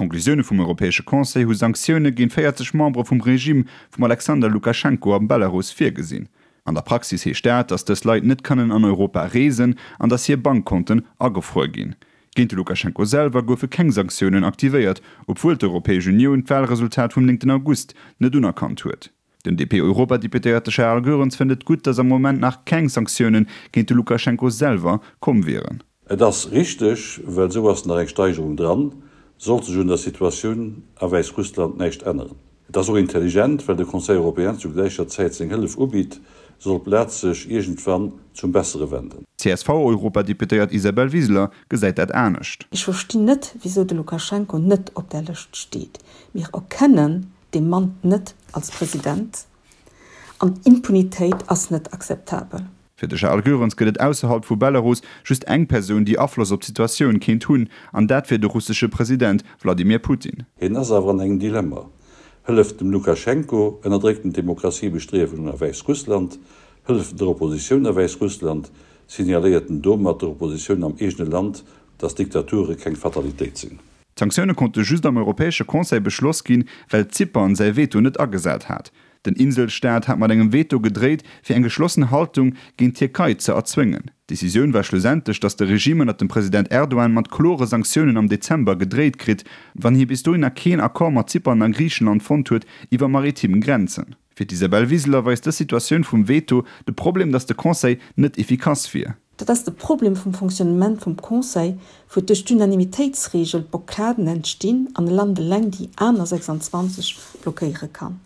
D'Konklusioune vum Europäesche Conseil hu Sanktioune géint 40 Membere vum Regime vum Alexander Lukaschenko am Belarus virgesinn. An der Praxis heescht dat, datt dës Leit net kënnen an Europa reesen an datt hir Bankkonten agefruer ginn. Géint de Lukaschenko selwer goufe keng Sanktiounen aktivéiert, obwuel d'Europäesch Unioun d'Walresultat vum 9 August net unerkannt huet. Den DP-Europadeputéierte Charles Goerens fënnt et gutt, datt am Moment nach keng Sanktioune géint de Lukaschenko selwer komm wieren. Et ass richteg, well esou ass nach eng Steigerung dran, sollt sech un der Situatioun a Wäissrussland näischt änneren. Et ass och intelligent, well de Conseil européen zu gläicher Zäit seng Hëllef ubitt, sollt d'Blat sech iergendwann zum Bessere wenden. D'CSV-Europadeputéiert Isabel Wiseler gesäit dat anescht. Ech verstinn net, wisou de Lukaschenko net op där Lëscht steet. Mir erkennen dee Mann net als President an Impunitéit ass net akzeptabel. Fir de Charles Goerens gëtt et ausserhalb vu Belarus just eng Persoun, déi Afloss op d'Situatioun kéint hunn, an dat wier de russesche President Wladimir Putin. Hien ass awer an engem Dilemma, Hëlleft dem Lukaschenko, ënnerdréckt en d'Demokratiebestриewungen a Wäissrussland, hëlleft en der Oppositioun a Wäissrussland, signaléiert en domat der Oppositioun am eegene Land, datt Diktature keng Fatalitéit sinn. D'Sanktioune konnte just am Europäesche Conseil beschloss ginn, well Zypern säi Veto net agesat hat. Den Inselstaat hat mat engem Veto gedréit, fir eng geschlossen Haltung géint d'Tierkei ze erzwéngen. D'Decisioun war schlussendlech, datt de Regime ënnert dem President Erdogan mat klore Sanktiounen am Dezember gedréit kritt, wann hie bis dohinner keen Accord mat Zypern a Griichenland fonnt huet iwwer maritim Grenzen. Fir d'Isabel Wiseler weist dës Situatioun vum Veto de Problem, datt de Conseil net efficace wier. Dat ass de Problem vum Fonctionnement vum Conseil, wou duerch d'Unanimitéitsregel Blockaden entstinn an e Land eleng déi aner 26 blockéiere kann.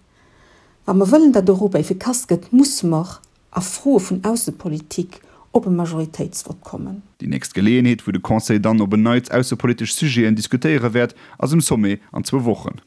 Wa mer wëllen, datt Europa effikass gëtt, musse mer a Froe vun Aussepolitik op e Majoritéitsvott kommen. Déi nächst Geleeënheet, wou de Conseil dann op en Neits aussepolitesch Sujeten diskutéiere wäert, ass um Sommet an zwou Wochen.